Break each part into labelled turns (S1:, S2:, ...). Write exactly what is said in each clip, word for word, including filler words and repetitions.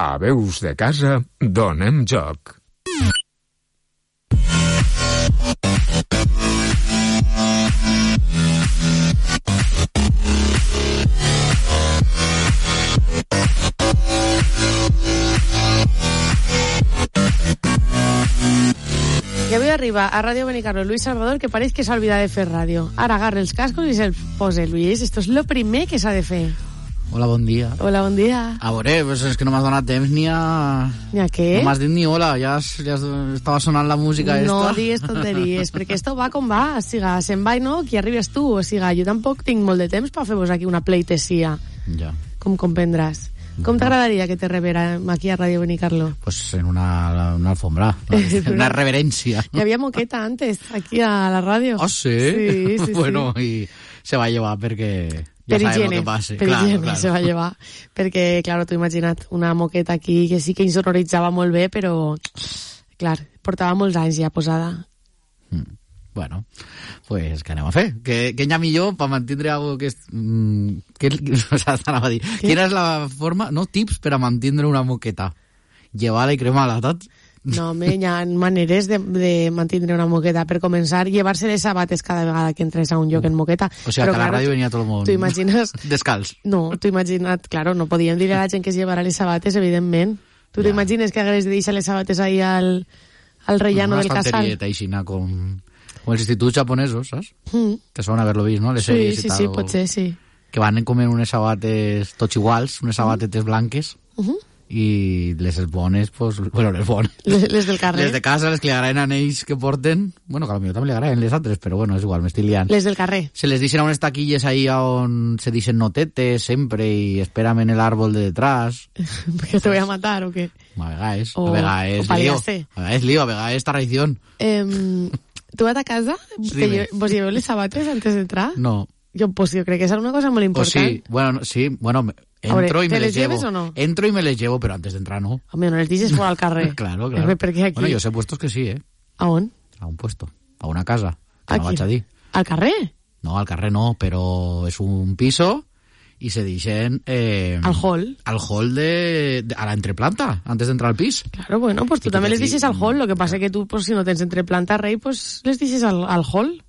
S1: A Veus de Casa donem joc.
S2: I avui arriba a Ràdio Benicarló Luis Salvador, que pareix que s'ha oblidat de fer ràdio. Ara agarra els cascos i se'ls posa. Luis, esto es lo primer que s'ha de fer.
S3: Hola, bon dia.
S2: Hola, bon dia.
S3: A veure, pues és que no m'has donat temps ni a...
S2: Ni a què?
S3: No m'has dit ni hola, ja, has, ja estava sonant la música esta.
S2: No digues tonteries, perquè esto va com va. O siga, se'n va i no, qui arribes tu. O siga, jo tampoc tinc molt de temps per fer-vos aquí una pleitesia.
S3: Ja.
S2: Com comprendràs. Com t'agradaria que te reverem aquí a Ràdio Benicarló?
S3: Pues en una, una alfombra, una, una reverencia.
S2: Hi havia moqueta antes, aquí a la ràdio.
S3: ¿Ah, sí?
S2: Sí, sí,
S3: bueno,
S2: sí.
S3: y se va a llevar perquè... Ja
S2: per
S3: sabem
S2: higiene,
S3: el que passa.
S2: per
S3: claro,
S2: higiene
S3: claro.
S2: se va llevar. Perquè, clar, t'ho imagina't, una moqueta aquí que sí que insonoritzava molt bé, però, clar, portava molts anys ja posada.
S3: Mm. Bueno, pues què anem a fer? Què, què hi ha millor per mantindre algo que és... Mm, que, o sea, t'anava a dir.
S2: Què?
S3: Quina és la forma, no, tips per a mantindre una moqueta? Llevar-la i cremar-la, tot?
S2: No, home, hi ha maneres de, de mantindre una moqueta. Per començar, llevar-se les sabates cada vegada que entres a un lloc en moqueta.
S3: O sigui,
S2: però,
S3: que a la
S2: clar,
S3: ràdio venia tot el món
S2: tu imagines...
S3: descalç.
S2: No, tu imagina't, claro, no podíem dir a la gent que es llevara les sabates, evidentment. Tu
S3: Ja.
S2: t'imagines que hagués de deixar les sabates ahí al, al rellano
S3: una
S2: del casal?
S3: Una estanterieta aixina com, com els instituts japonesos, saps?
S2: Mm.
S3: Te sona haver-lo vist, no? Les
S2: Sí,
S3: sèries
S2: sí,
S3: i tal.
S2: sí,
S3: o...
S2: potser, sí.
S3: Que van comer unes sabates tots iguals, unes sabatetes blanques,
S2: Uh -huh.
S3: i les bones, pues, bueno, les bones.
S2: Les, les del carrer.
S3: Les de casa, les que li agraden a ells que porten, bueno, que a lo millor també li agraden les altres, però bueno, és igual, m'estic liant.
S2: Les del carrer.
S3: Se les deixen a unes taquilles ahí on se dicen notetes sempre i espérame en el árbol de detrás.
S2: ¿Porque te voy a matar o qué?
S3: A vegades,
S2: O-
S3: a vegades
S2: o
S3: lío.
S2: paliaste.
S3: A vegades lío, a vegades traición.
S2: Eh, ¿Tú vas a casa?
S3: Sí,
S2: Que
S3: me-
S2: yo, ¿Vos lleveu les sabates antes de entrar?
S3: No.
S2: Yo, pues yo creo que esa es una cosa muy
S3: O
S2: importante.
S3: sí, bueno, no, sí, bueno, me-
S2: Ahora,
S3: entro y
S2: ¿te
S3: me
S2: les
S3: les llevo.
S2: lleves o no?
S3: Entro y me les llevo, pero antes de entrar no.
S2: Hombre, no les dices fuera al carrer.
S3: Claro, claro.
S2: Perquè aquí...
S3: Bueno, yo sé puestos que sí, ¿eh?
S2: ¿A on?
S3: A un puesto, a una casa. Que no
S2: Aquí.
S3: vaig a dir.
S2: ¿Al carrer?
S3: No, al carrer no, però és un piso i se deixen... Eh,
S2: Al hall.
S3: Al hall de, de... a la entreplanta, antes de entrar al pis.
S2: Claro, bueno, pues tú
S3: Y que
S2: también les
S3: aquí-
S2: dices al hall. Lo que pasa es que tú, pues si no tens entre planta rey, pues les dices al, al hall.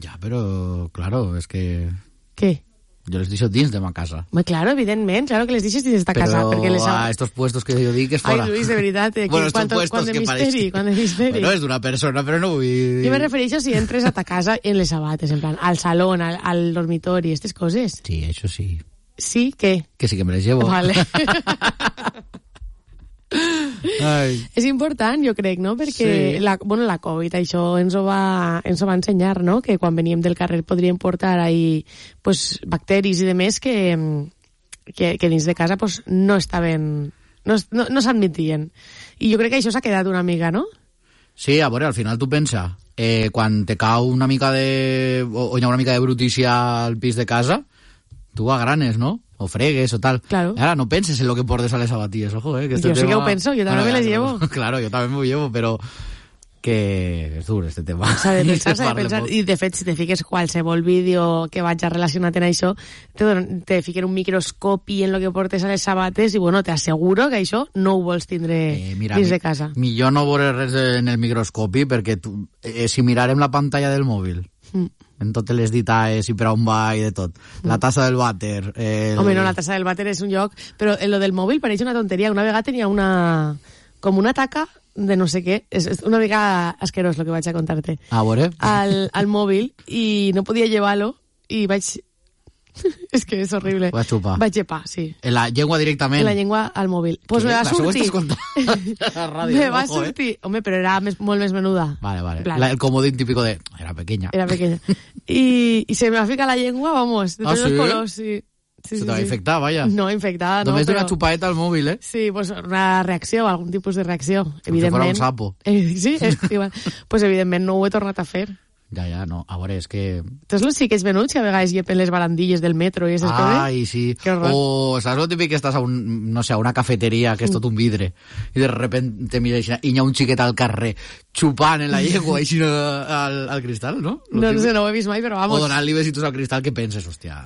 S3: Ja, però, claro, és que...
S2: ¿Qué?
S3: Jo les deixo dins de ma casa.
S2: Pues claro, evidentment, claro que les dices dins d'esta
S3: Però
S2: casa. Perquè les...
S3: a estos puestos que jo dic és
S2: Ai,
S3: fora.
S2: Luis, de veritat, eh,
S3: bueno, estos
S2: quant,
S3: puestos
S2: quant de
S3: que
S2: misteri,
S3: pareix...
S2: quant de misteri.
S3: Bueno, és d'una persona, però no vull dir...
S2: Jo me refereixo si entres a ta casa en les sabates, en plan, al salón, al, al dormitori, aquestes coses.
S3: Sí, això sí.
S2: Sí, què?
S3: Que sí que me les llevo.
S2: Vale.
S3: Ai.
S2: És important, jo crec, no? Perquè
S3: Sí.
S2: la, bueno, la Covid, això ens ho, va, ens ho va ensenyar, no? Que quan veníem del carrer podríem portar ahí, pues, bacteris i demés que, que, que dins de casa pues, no estaven... No, no, no s'admitien. I jo crec que això s'ha quedat una mica, no?
S3: Sí, a veure, al final tu pensa, eh, quan te cau una mica de... o, o hi ha una mica de brutícia al pis de casa, tu agranes, ¿no? O fregues o tal.
S2: Claro.
S3: Ahora no penses en lo que portes a les sabatilles, ojo, eh. Que este
S2: Jo sí
S3: tema...
S2: que ho penso, jo també me les llevo.
S3: Claro, yo también me lo llevo, pero que és dur este tema.
S2: S'ha de pensar, s'ha de
S3: Parle
S2: pensar.
S3: molt.
S2: I de fet, si te fiques qualsevol vídeo que vaig a relacionat en això, te, donen- te fiquen un microscopi en lo que portes a les sabates i, bueno, t'asseguro que això no ho vols tindre
S3: Eh, mira,
S2: dins
S3: mi-
S2: de casa.
S3: millor no veure res en el microscopi perquè tu, eh, si mirarem la pantalla del mòbil
S2: Mm.
S3: en totes les ditaes i per on va i de tot, la tassa del vàter, el...
S2: Home, no, la tassa del vàter és un lloc, però en lo del mòbil pareix una tonteria. Una vegada tenia una... com una taca de no sé què. És, és una mica asquerós lo que vaig a contar-te.
S3: A veure.
S2: Al, al mòbil i no podia llevar-lo i vaig... és que és horrible.
S3: Vaig xupar.
S2: Vaig llepar, sí.
S3: En la llengua directament.
S2: En la llengua al mòbil. Pues
S3: Què?
S2: me va
S3: Això ho
S2: sortir...
S3: estàs contant a la ràdio,
S2: me va
S3: ojo, eh?
S2: sortir... Home, però era més, molt més menuda.
S3: Vale, vale.
S2: En plan,
S3: La- el comodín típico de... Era pequeña.
S2: Era pequeña. Y, y se me va a ficar la lengua, vamos, de
S3: ¿Ah,
S2: todos
S3: sí?
S2: los colors, sí. Sí,
S3: Se
S2: sí,
S3: te va a
S2: sí.
S3: infectar, vaya.
S2: No, infectada, no,
S3: Només
S2: però...
S3: d'una xupaeta al mòbil, eh?
S2: Sí, pues una reacció, algun tipus de reacció,
S3: Com si
S2: evidentment.
S3: fora un sapo.
S2: Eh, sí, és igual. Pues evidentment no ho he tornat a fer.
S3: Ja, ja, no. A veure, és que...
S2: Tots els xiquets venuts que a vegades llepen les barandilles del metro i aquestes coses.
S3: Ai, sí.
S2: Que horror.
S3: O saps lo típic que estàs a un, no sé, a una cafeteria que és tot un vidre i de repente te mira així, i hi ha un xiquet al carrer xupant en la llengua així al, al cristal, no? Lo
S2: No, no
S3: típic.
S2: sé, no ho he vist mai, però
S3: O
S2: vamos.
S3: donant-li besitos al cristal que penses, hòstia...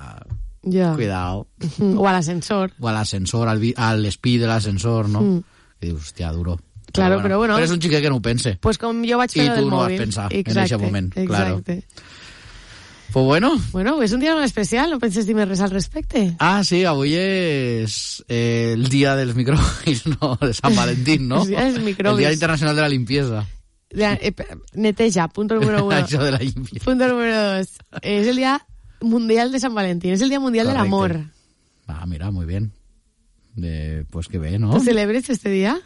S2: Ja.
S3: Cuidao.
S2: O a l'ascensor.
S3: O a l'ascensor, al, vi- a l'espí de l'ascensor, no?
S2: Mm.
S3: I dius, hòstia, duro.
S2: Claro, però bueno.
S3: Però és un xiquet que no ho pense.
S2: Pues com jo vaig fer
S3: I
S2: lo
S3: tu
S2: del
S3: no vas
S2: mòbil.
S3: pensar en
S2: Exacte,
S3: ese moment, claro.
S2: Exacte.
S3: Pues bueno.
S2: Bueno, és un dia molt especial, no penses dir més res al respecte?
S3: Ah, sí, avui és eh, el dia dels microbis, no? De Sant Valentín, no?
S2: El dia dels microbis.
S3: El dia internacional de la limpieza.
S2: Ja, eh, neteja, punto número uno.
S3: Això de la limpieza.
S2: Punto número dos. És el dia mundial de Sant Valentín, és el dia mundial
S3: Correcte.
S2: del amor.
S3: Ah, mira, muy bien. De, pues que bé, ¿no?
S2: ¿Tú celebres este día?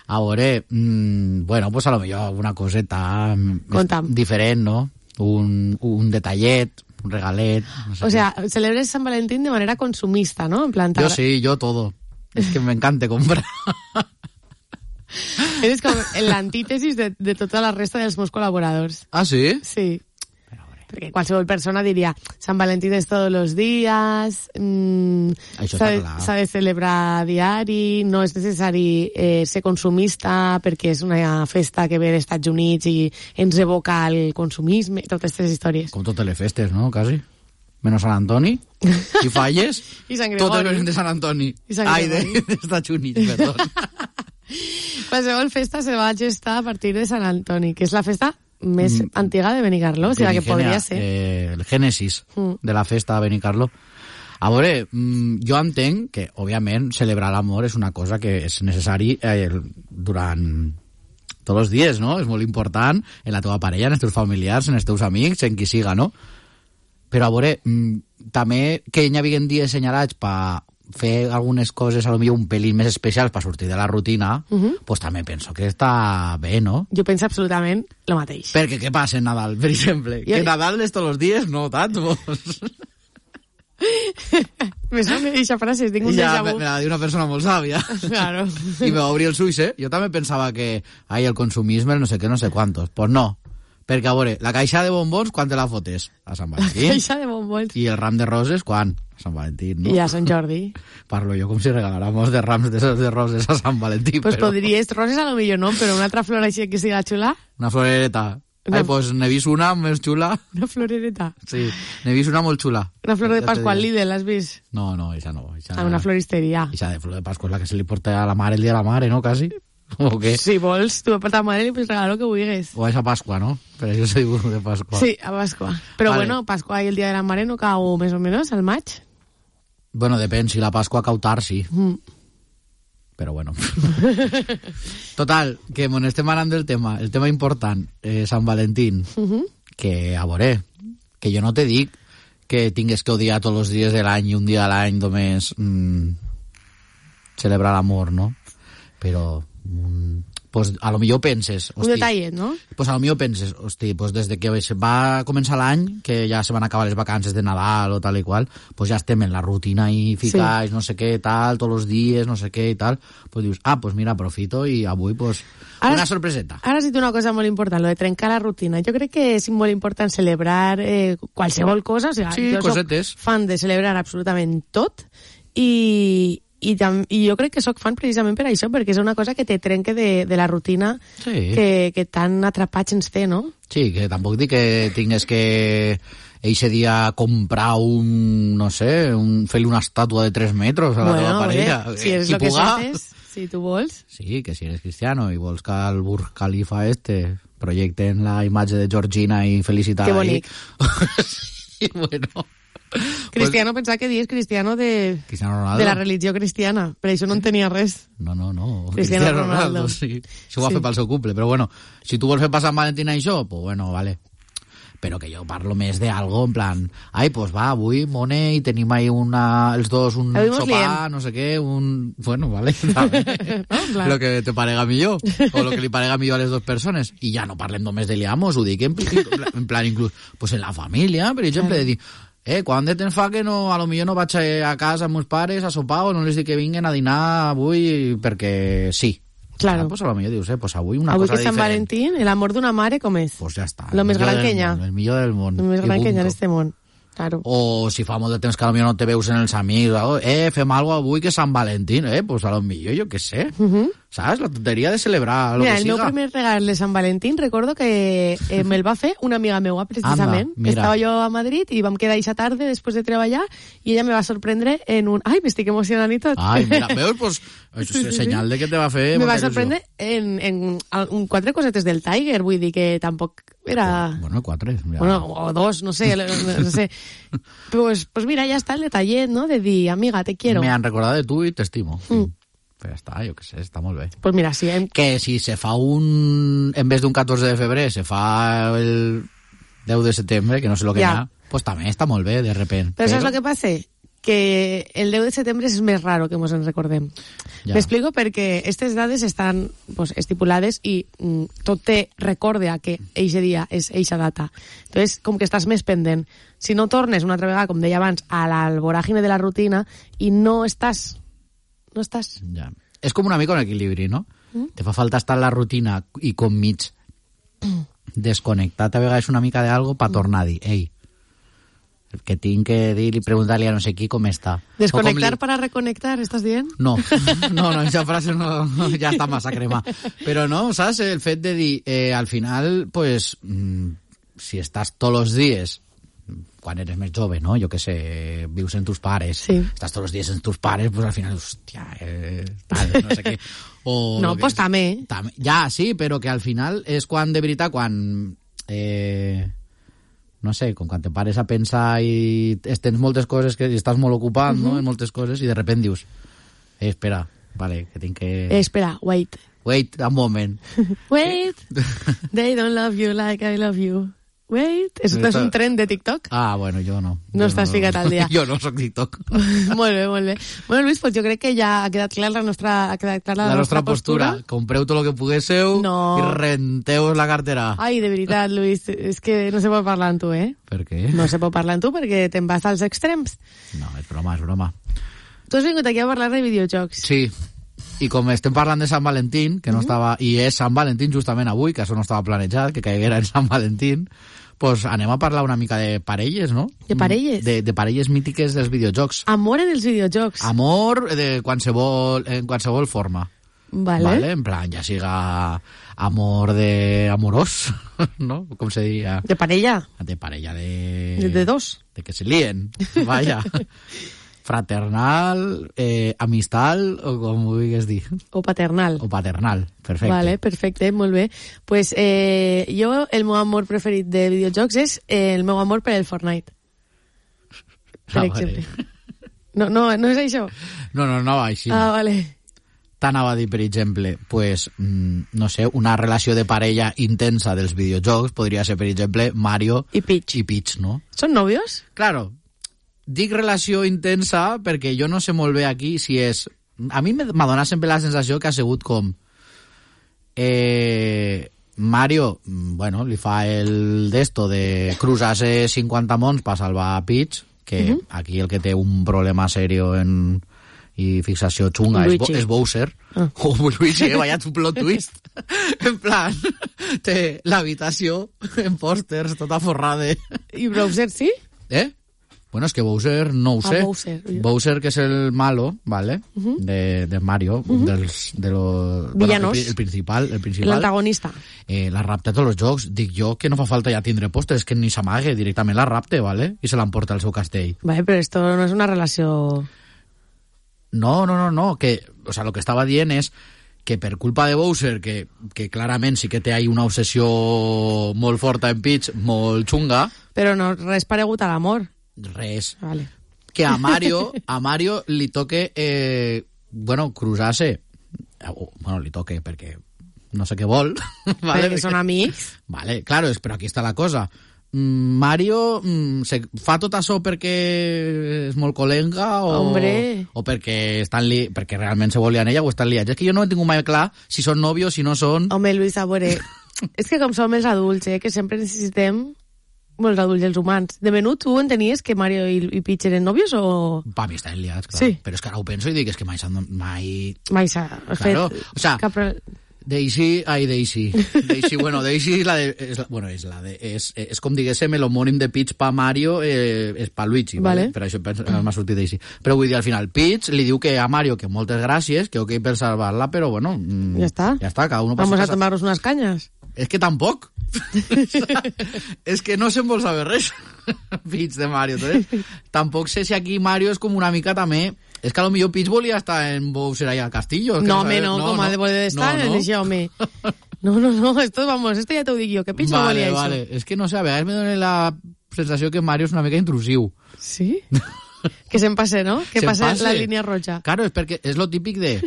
S3: A veure, mmm, bueno, pues a lo millor alguna coseta mm,
S2: Contam.
S3: diferent, no? Un, un detallet, un regalet... No sé
S2: O
S3: qué.
S2: sea, celebres San Valentín de manera consumista, ¿no? En plan,
S3: Yo
S2: t'agra-
S3: sí, yo todo. Es que me encanta comprar.
S2: Eres com la antítesis de, de tota la resta dels meus col·laboradors.
S3: Ah, sí?
S2: Sí. Perquè qualsevol persona diria Sant Valentín és tots els dies, mmm,
S3: Això
S2: s'ha de,
S3: està clar.
S2: s'ha de celebrar diari, no és necessari eh, ser consumista perquè és una festa que ve dels Estats Units i ens evoca el consumisme, totes aquestes històries.
S3: Com totes les festes, no? Quasi. Menos Sant Antoni. Si falles,
S2: I Sant
S3: totes
S2: Gregori.
S3: venen de Sant Antoni.
S2: I Sant
S3: Ai, de,
S2: Gregori.
S3: de Estats Units, perdó.
S2: Qualsevol festa se va gestar a partir de Sant Antoni, que és la festa més
S3: Mm.
S2: antiga de Benicarló, o sigui, la que
S3: Primigenia,
S2: podria ser.
S3: Eh, el Génesis
S2: Mm.
S3: de la festa de Benicarló. A veure, mm, jo entenc que, òbviament, celebrar l'amor és una cosa que és necessari eh, durant tots els dies, no? És molt important en la teva parella, en els teus familiars, en els teus amics, en qui siga, no? Però, a veure, mm, també que hi havia dies assenyalats per fer algunes coses, a lo millor un pelín més especials per sortir de la rutina, uh -huh. pues també penso que està bé, no?
S2: Jo penso absolutament el mateix.
S3: Perquè què passa en Nadal, per exemple?
S2: Jo-
S3: Que Nadal és tots els dies? No tant, vos.
S2: Me sona aquesta frase, tinc un
S3: Ja,
S2: déjà
S3: me,
S2: vu.
S3: me la diu una persona molt sàvia.
S2: Claro.
S3: I me va obrir els ulls, eh? Jo també pensava que, ai, el consumisme, el no sé què, no sé quantos. Pues no. Perquè, a veure, la caixa de bombons, quan te la fotes? A Sant Valentín.
S2: Caixa de bombons.
S3: I el ram de roses, quan? A Sant Valentín, no?
S2: I a Sant Jordi.
S3: Parlo jo com si regaláramos de rams de, esos de roses a Sant Valentín,
S2: Pues
S3: però...
S2: podries, roses a lo millor no, però una altra flor així que siga xula,
S3: Una florereta.
S2: Una-
S3: Ai, pues n'he vist una més xula.
S2: una florereta.
S3: Sí, n'he vist una molt xula.
S2: Una flor de
S3: Ja te
S2: Pasqua al
S3: diré.
S2: Lidl, l'has vist?
S3: No, no, esa no. Esa,
S2: A una floristeria.
S3: esa de flor de Pascua és la que se li porta a la mare el dia de la mare, no, quasi? O què?
S2: Si vols, tu per ta mare li pots regalar el que vulguis.
S3: O és a Pasqua, no? Per això se diu de Pasqua.
S2: Sí, a Pasqua. Però
S3: Vale.
S2: bueno, Pasqua i el dia de la mare no cau més o menys al maig.
S3: Bueno, depèn, si la Pasqua cau tard, sí.
S2: Mm.
S3: Però bueno. Total, que mon estem anant del tema, el tema important, eh, Sant Valentín,
S2: Uh -huh.
S3: que, a veure, que jo no te dic que tingues que odiar tots els dies de l'any i un dia a l'any només mm, celebrar l'amor, no? Però, mm, pues, a lo millor penses...
S2: Un detallet, no?
S3: Pues a lo millor penses, hosti, pues des de que se va començar l'any, que ja se van acabar les vacances de Nadal o tal i qual, pues ja estem en la rutina i ficats, sí. no sé què, tal, tots els dies, no sé què i tal, pues dius, ah, pues mira, aprofito i avui, pues,
S2: Ara-
S3: una sorpreseta.
S2: Ara has dit una cosa molt important, lo de trencar la rutina. Jo crec que és molt important celebrar eh, qualsevol cosa. O sigui,
S3: Sí,
S2: jo
S3: cosetes.
S2: soc fan de celebrar absolutament tot i, i, tam, i jo crec que sóc fan precisament per això, perquè és una cosa que te trenque de, de la rutina
S3: Sí.
S2: que, que tan atrapats ens té, no?
S3: Sí, que tampoc dic que tingues que eixe dia comprar un, no sé, un, fer-li una estàtua de tres metres a la teva parella.
S2: Bé, si és
S3: Qui
S2: el que
S3: puga.
S2: haces, si tu vols.
S3: Sí, que si eres cristiano i vols que el Burj Khalifa este projecten la imatge de Georgina i felicitar
S2: Que bonic.
S3: Sí, bueno.
S2: Cristiano, pues, pensava que dius cristiano de,
S3: Cristiano Ronaldo.
S2: de la religió cristiana, però això no en tenia res.
S3: No, no, no.
S2: Cristiano
S3: Cristiano
S2: Ronaldo.
S3: Ronaldo, sí. Això ho va
S2: Sí.
S3: fer pel seu cumple, però bueno, si tu vols fer passar Valentina i això, pues bueno, vale. Però que jo parlo més de algo en plan, ai, pues va, avui, mone, i tenim ahí una, els dos un
S2: Avui mos
S3: sopar,
S2: liem.
S3: no sé què, un... Bueno, vale, també.
S2: No, en plan-
S3: Lo que te parega millor, o lo que li parega millor a les dues persones. I ja no parlem només de liamos, ho dic en, pl- en plan inclús, pues en la família, per exemple, de dir, eh, quan de temps fa que no, a lo millor no vaig a casa amb meus pares a sopar o no les dic que vinguen a dinar avui perquè sí.
S2: Claro.
S3: Ah, pues a lo millor dius, eh, pues avui una
S2: Avui
S3: cosa
S2: que és Sant
S3: diferent.
S2: Valentín, el amor d'una mare com és?
S3: Pues ja està.
S2: Lo
S3: el
S2: més
S3: millor
S2: gran
S3: del
S2: que hi ha.
S3: món, El millor del món.
S2: El més
S3: I
S2: gran que hi ha en
S3: punto.
S2: este món. Claro.
S3: O si fa molt de temps que a lo millor no te veus en els amics, oh, eh, fem alguna avui que és Sant Valentín, eh, pues a lo millor, jo què sé.
S2: Uh -huh.
S3: Saps? La tonteria de celebrar lo
S2: Mira,
S3: que
S2: el
S3: siga.
S2: meu primer regal de Sant Valentín recordo que eh, me'l va fer una amiga meua, precisament.
S3: Anda, mira.
S2: Estava jo a Madrid i vam quedar eixa tarde després de treballar i ella me va sorprendre en un... Ai, m'estic emocionant i tot.
S3: Ai, mira, veus? Pues, és
S2: Sí, sí, sí.
S3: senyal de que te va fer...
S2: Me va
S3: molta il·lusió.
S2: sorprendre en, en, en quatre cosetes del Tiger, vull dir que tampoc era...
S3: Bueno, quatre. Ja.
S2: Bueno, o dos, no sé, no sé. Pues, pues mira, ya está el detallet, ¿no? De dir, amiga, te quiero.
S3: Me han recordado de tu i t'estimo.
S2: Mm.
S3: Però ja està, jo què sé, està molt bé.
S2: Pues mira, sí. Hem...
S3: Que si se fa un... En vez d'un catorze de febrer, se fa el deu de setembre, que no sé lo que
S2: Ja.
S3: hi ha, pues també està molt bé, de repent.
S2: Però saps el que passa? Que el deu de setembre és més raro que mos en recordem.
S3: Ja.
S2: M'explico perquè aquestes dades estan pues, estipulades i mm, tot te recorde a que eixe dia és eixa data. Entonces, com que estàs més pendent. Si no tornes una altra vegada, com deia abans, a l'alvoràgine de la rutina i no estàs... No estàs...
S3: Ja. És com una mica un equilibri, no? Mm? Te fa falta estar en la rutina i com mig desconnectat a vegades una mica d'algo per tornar a dir, ei, que tinc que dir i preguntar-li a no sé qui com està.
S2: Desconectar
S3: li...
S2: para reconectar, estàs dient?
S3: No, no, no, aquesta frase no, ja està massa crema. Però no, saps? El fet de dir, eh, al final, pues, mm, si estàs tots els dies, quan eres més jove, no? Jo què sé, vius en tus pares,
S2: sí.
S3: Estàs tots els dies en tus pares, pues al final, hòstia, eh, tal, no sé què. O
S2: no, pues
S3: és,
S2: també.
S3: tam, ja, sí, però que al final és quan, de veritat, quan... Eh, no sé, com quan te pares a pensar i tens moltes coses que estàs molt ocupat, uh -huh. no?, en moltes coses, i de repent dius, eh, espera, vale, que tinc que...
S2: Eh, espera, wait.
S3: Wait, un moment.
S2: Wait, they don't love you like I love you. Wait, això és un tren de TikTok?
S3: Ah, bueno, jo no.
S2: No
S3: jo
S2: estàs
S3: no,
S2: ficat al dia.
S3: Jo no soc TikTok.
S2: Molt bé, molt bé. Bueno, Luis, pues jo crec que ja ha quedat clar la nostra, ha quedat clara la,
S3: la
S2: nostra,
S3: nostra postura. postura. Compreu tot el que poguéssiu
S2: no.
S3: i renteu la cartera.
S2: Ai, de veritat, Luis, és que no se pot parlar amb tu, eh?
S3: Per què?
S2: No se pot parlar amb tu perquè te'n vas als extrems.
S3: No, és broma, és broma.
S2: Tu has vingut aquí a parlar de videojocs.
S3: Sí. I com estem parlant de Sant Valentín, que no uh -huh. estava... I és Sant Valentín justament avui, que això no estava planejat, que caiguera en Sant Valentín, pues anem a parlar una mica de parelles, no?
S2: De parelles?
S3: De, de parelles mítiques dels videojocs.
S2: Amor en els videojocs.
S3: Amor de qualsevol, en qualsevol forma.
S2: Vale.
S3: Vale. En plan, ja siga amor de amorós, no? Com se diria?
S2: De parella.
S3: De parella de...
S2: De, de dos.
S3: De que se lien, vaya. Fraternal, eh, amistal, o com ho vulguis dir.
S2: O paternal.
S3: O paternal, perfecte.
S2: Vale, perfecte, molt bé. Pues eh, jo, el meu amor preferit de videojocs és eh, el meu amor per el Fortnite. Per
S3: Ah,
S2: exemple.
S3: vale.
S2: No, no, no és això?
S3: No, no, no va així.
S2: Ah, vale.
S3: T'anava a dir, per exemple, pues, mm, no sé, una relació de parella intensa dels videojocs podria ser, per exemple, Mario
S2: i Peach.
S3: I Peach, no?
S2: Són nòvios?
S3: Claro, dic relació intensa perquè jo no sé molt bé aquí si és... A mi m'ha donat sempre la sensació que ha sigut com... Eh, Mario, bueno, li fa el d'esto de cruzar-se cinquanta mons per salvar a Peach, que uh -huh. aquí el que té un problema serio en... i fixació xunga és, Bo, és Bowser. Ah. Oh, Luigi, eh, vaya tu plot twist. En plan, té l'habitació en pòsters tota forrada.
S2: I Bowser sí?
S3: Eh? Bueno, és que Bowser no ho sé.
S2: Ah, Bowser.
S3: Bowser, que és el malo, ¿vale? Uh -huh. de, de Mario, uh -huh. dels, de lo,
S2: villanos.
S3: Bueno, el, el principal. El principal
S2: l'antagonista.
S3: Eh, la rapta a tots els jocs. Dic jo que no fa falta ja tindre pòsters, que ni s'amague, directament la rapte, ¿vale? I se l'emporta al seu castell.
S2: Vale, però esto no és una relació...
S3: No, no, no, no, que, o sea, lo que estava dient és que per culpa de Bowser, que, que clarament sí que té ahí una obsessió molt forta en Peach, molt xunga...
S2: Però no, res paregut a l'amor.
S3: Res.
S2: Vale.
S3: Que a Mario, a Mario li toque, eh, bueno, cruzar-se... Bueno, li toque perquè no sé què vol.
S2: Vale, perquè són amics.
S3: Vale, claro, però aquí està la cosa. Mario mm, se fa tot això perquè és molt colenga o,
S2: Hombre.
S3: o perquè estan li, perquè realment se volien ella o estan liats. És que jo no he tingut mai clar si són nòvios, si no són...
S2: Home, Luis, a veure, és que com som els adults, eh, que sempre necessitem molts adults, els humans. De menut, tu entenies que Mario i, i Peach eren nòvios o...?
S3: Pa mi estan liats, clar.
S2: Sí.
S3: Però és que ara ho penso i dic, és que mai s'han... Mai...
S2: Mai s'ha fet...
S3: Claro, o sea,
S2: cap...
S3: Daisy, ai, Daisy. Daisy, bueno, Daisy és la de... És la, bueno, és la de... És, és com diguéssim, l'homònim de Peach pa Mario eh, és pa Luigi, vale?
S2: Vale.
S3: Per això m'ha sortit Daisy. Però vull dir, al final, Peach li diu que a Mario que moltes gràcies, que ok per salvar-la, però bueno... Mm,
S2: ja està.
S3: Ja està, cada uno...
S2: Vamos a
S3: casa.
S2: tomarnos unas cañas.
S3: És que tampoc. És que no se'n vol saber res. Peach de Mario. Entonces, tampoc sé si aquí Mario és com una mica també... És que a lo millor Peach volia estar en Bowser allà al castillo.
S2: No, home, no, no, com ha de voler estar
S3: no, no.
S2: en això, home. No, no, no, esto, vamos, esto ja t'ho dic jo, que Peach
S3: vale,
S2: no volia
S3: vale.
S2: això.
S3: És que no sé, a vegades me dona la sensació que Mario és una mica intrusiu.
S2: Sí? Que se'n passe, ¿no? Que
S3: Se'n
S2: passe
S3: passe.
S2: la línia roja.
S3: Claro, es porque es lo típico de...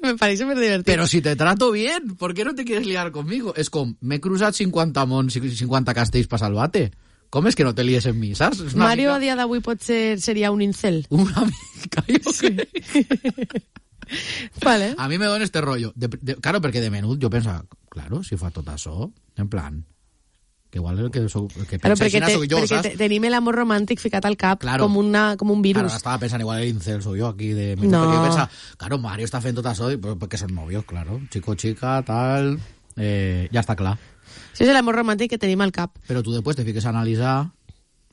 S2: Me parece súper divertido.
S3: Pero si te trato bien, ¿por qué no te quieres liar conmigo? És com, m'he cruzat cinquanta mons, cinquanta castells per salvar-te. Com és que no te lies en mi, saps? És una
S2: Mario
S3: mica...
S2: a dia d'avui pot ser, seria un incel.
S3: Una mica, jo
S2: Sí.
S3: crec.
S2: Vale.
S3: A mi me dona este rollo. De, de, claro, perquè de menut jo pensa, claro, si fa tot això, en plan, que igual el que, sou, el que
S2: Claro,
S3: pensa
S2: perquè,
S3: així
S2: te,
S3: soc jo,
S2: perquè
S3: saps?
S2: te, tenim l'amor romàntic ficat al cap
S3: Claro.
S2: com, una, com un
S3: Claro,
S2: virus.
S3: estava pensant igual el incel soy jo aquí de menut,
S2: No.
S3: perquè jo pensa, claro, Mario està fent tot això i- però perquè són novios, claro, chico, chica, tal, eh, ja està clar.
S2: Això és l'amor romàntic que tenim al cap.
S3: Però tu després te fiques a analitzar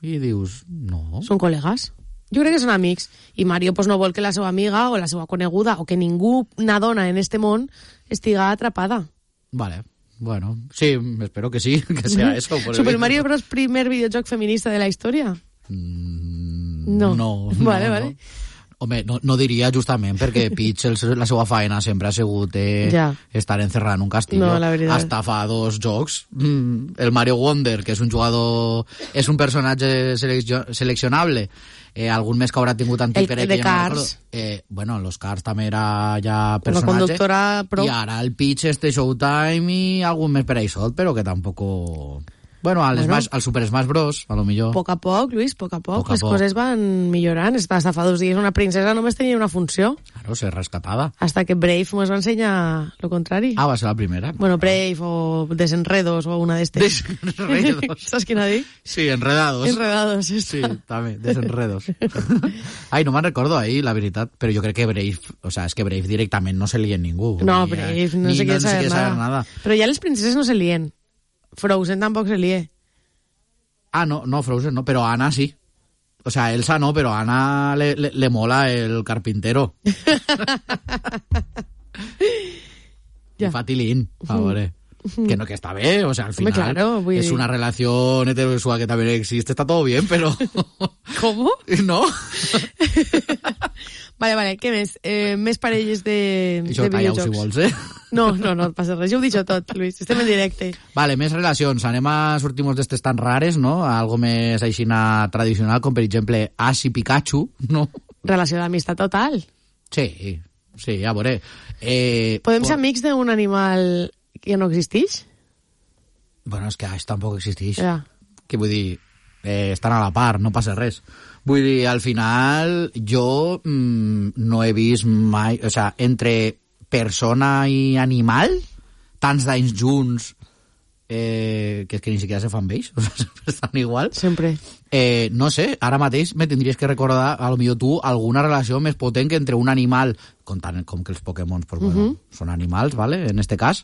S3: i dius, no.
S2: Són col·legues. Jo crec que són amics. I Mario pues, no vol que la seva amiga o la seva coneguda o que ningú, una dona en este món, estiga atrapada.
S3: Vale, bueno, sí, espero que sí, que sea eso. por el
S2: Super
S3: bien.
S2: Mario Bros. Primer videojoc feminista de la història?
S3: Mm,
S2: No.
S3: no.
S2: Vale,
S3: no,
S2: vale.
S3: No. Home, no, no diria justament perquè Peach, el, la seva feina sempre ha sigut eh,
S2: Ja.
S3: estar encerrada en un castillo.
S2: No, la veritat.
S3: Hasta fa dos jocs. Mm, el Mario Wonder, que és un jugador... És un personatge seleccio, seleccionable. Eh, algun més que haurà tingut antic
S2: El-
S3: per
S2: de
S3: que ja no
S2: Cars.
S3: recordo. Eh, bueno, en los Cars també era ja
S2: Una
S3: personatge.
S2: conductora pro.
S3: I ara el Peach este Showtime i algun més per ahí sol, però que tampoc... Bueno, al,
S2: Bueno.
S3: Smash, al Super Smash Bros, a lo millor.
S2: A poc a poc, Lluís, a poc a poc.
S3: Poc a
S2: Les
S3: poc.
S2: coses van millorant. Hasta fa dos dies una princesa només tenia una funció.
S3: Claro, ser rescatada.
S2: Hasta que Brave ens va ensenyar lo contrari.
S3: Ah, va ser la primera.
S2: Bueno, Brave o Desenredos o una d'estes.
S3: Desenredos.
S2: Saps quina dic?
S3: Sí, enredados.
S2: Enredados.
S3: Sí, també, desenredos. Ai, no me'n recordo ahí, la veritat, però jo crec que Brave, o sea, és que Brave directament no se lia en ningú.
S2: No,
S3: Ni,
S2: Brave,
S3: eh,
S2: no
S3: ni,
S2: sé què
S3: no,
S2: saber,
S3: sé
S2: nada.
S3: saber nada.
S2: Però ja les princeses no se lien. Frozen tampoc se lie.
S3: Ah, no, no, Frozen no, però Anna sí. O sea, Elsa no, però a Anna le, le, le mola el carpintero.
S2: Ja.
S3: I fa tilín, a veure. Que no, que está bé, o sea, al
S2: Hombre,
S3: final
S2: claro, vull
S3: es
S2: dir-
S3: una relación heterosexual que también existe, está todo bien, pero...
S2: ¿Cómo?
S3: ¿No?
S2: Vale, vale, què més? Eh, més parelles de,
S3: Això
S2: de
S3: calla-ho si
S2: videojocs.
S3: vols, eh?
S2: No, no, no et passa res. Jo ho he dit tot, Luis. Estem en directe.
S3: Vale, més relacions. Anem a sortir-nos d'estes tan rares, no? A algo més aixina tradicional, com per exemple Ash i Pikachu, no?
S2: Relació d'amistat total.
S3: Sí, sí, a veure. Eh,
S2: Podem
S3: por-
S2: ser amics d'un animal que no existeix?
S3: Bueno, és que Ash tampoc existeix.
S2: Ja.
S3: Que vull dir, eh, estan a la part, no passa res. Vull dir, al final, jo mm, no he vist mai... O sea, entre persona i animal, tants d'anys junts, eh, que és que ni siquiera se fan vells, o sea, sempre estan igual.
S2: Sempre.
S3: Eh, no sé, ara mateix me tindries que recordar, a lo millor tu, alguna relació més potent que entre un animal, com, tant, com que els Pokémon, pues, bueno,
S2: Mhm.
S3: són animals, ¿vale? En este cas,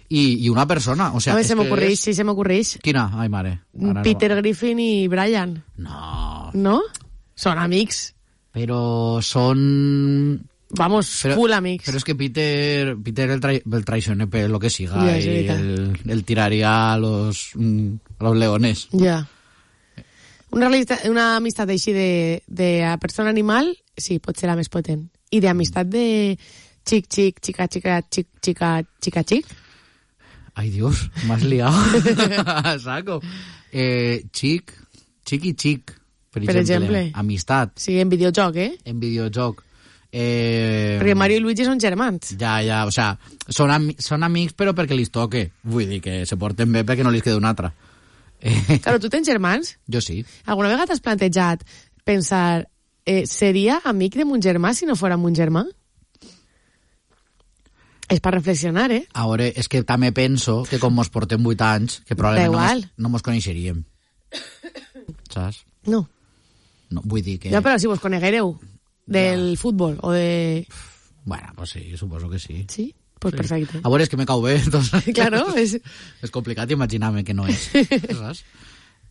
S3: i, i una persona. O sea,
S2: A veure,
S3: és
S2: se
S3: que
S2: m'ocorreix,
S3: és-
S2: sí, se m'ocorreix.
S3: Quina? Ai, mare. Ara
S2: Peter Griffin i Brian,
S3: No. no,
S2: no? Són amics.
S3: però són...
S2: Vamos,
S3: Però,
S2: full amics.
S3: Però és que Peter, Peter el, trai, el traiciona per lo que siga
S2: Ja, és
S3: i
S2: veritat.
S3: el, el tiraria a los, mm, a los leones.
S2: Ja. Una, realita- una amistat així de, de persona animal, sí, pot ser la més potent. I d'amistat de xic, xic, xica, xica, xic, xica, xica, xic.
S3: Ai, Dios, m'has liado. A saco. Eh, xic, xic i xic, per,
S2: Per
S3: exemple.
S2: exemple.
S3: Amistat,
S2: Sí, en videojoc, eh?
S3: en videojoc. Eh,
S2: Perquè Mario i Luigi són germans.
S3: Ja, ja, o sea, són, ami són amics però perquè li toque. Vull dir que se porten bé perquè no li queda un altre. Eh,
S2: Claro, tu tens germans?
S3: jo sí.
S2: Alguna vegada t'has plantejat pensar eh, seria amic de mon germà si no fora mon germà? És per reflexionar, eh?
S3: A veure, és que també penso que com mos portem vuit anys, que probablement no
S2: igual.
S3: mos, no mos coneixeríem. Saps?
S2: No.
S3: No, vull dir que...
S2: Ja, però si vos coneguereu del futbol o de...
S3: Bueno, pues sí, suposo que sí.
S2: Sí? Pues sí. Perfecte.
S3: A veure, és que me cau bé, entonces...
S2: Claro, és...
S3: És complicat imaginar-me que no és. Saps?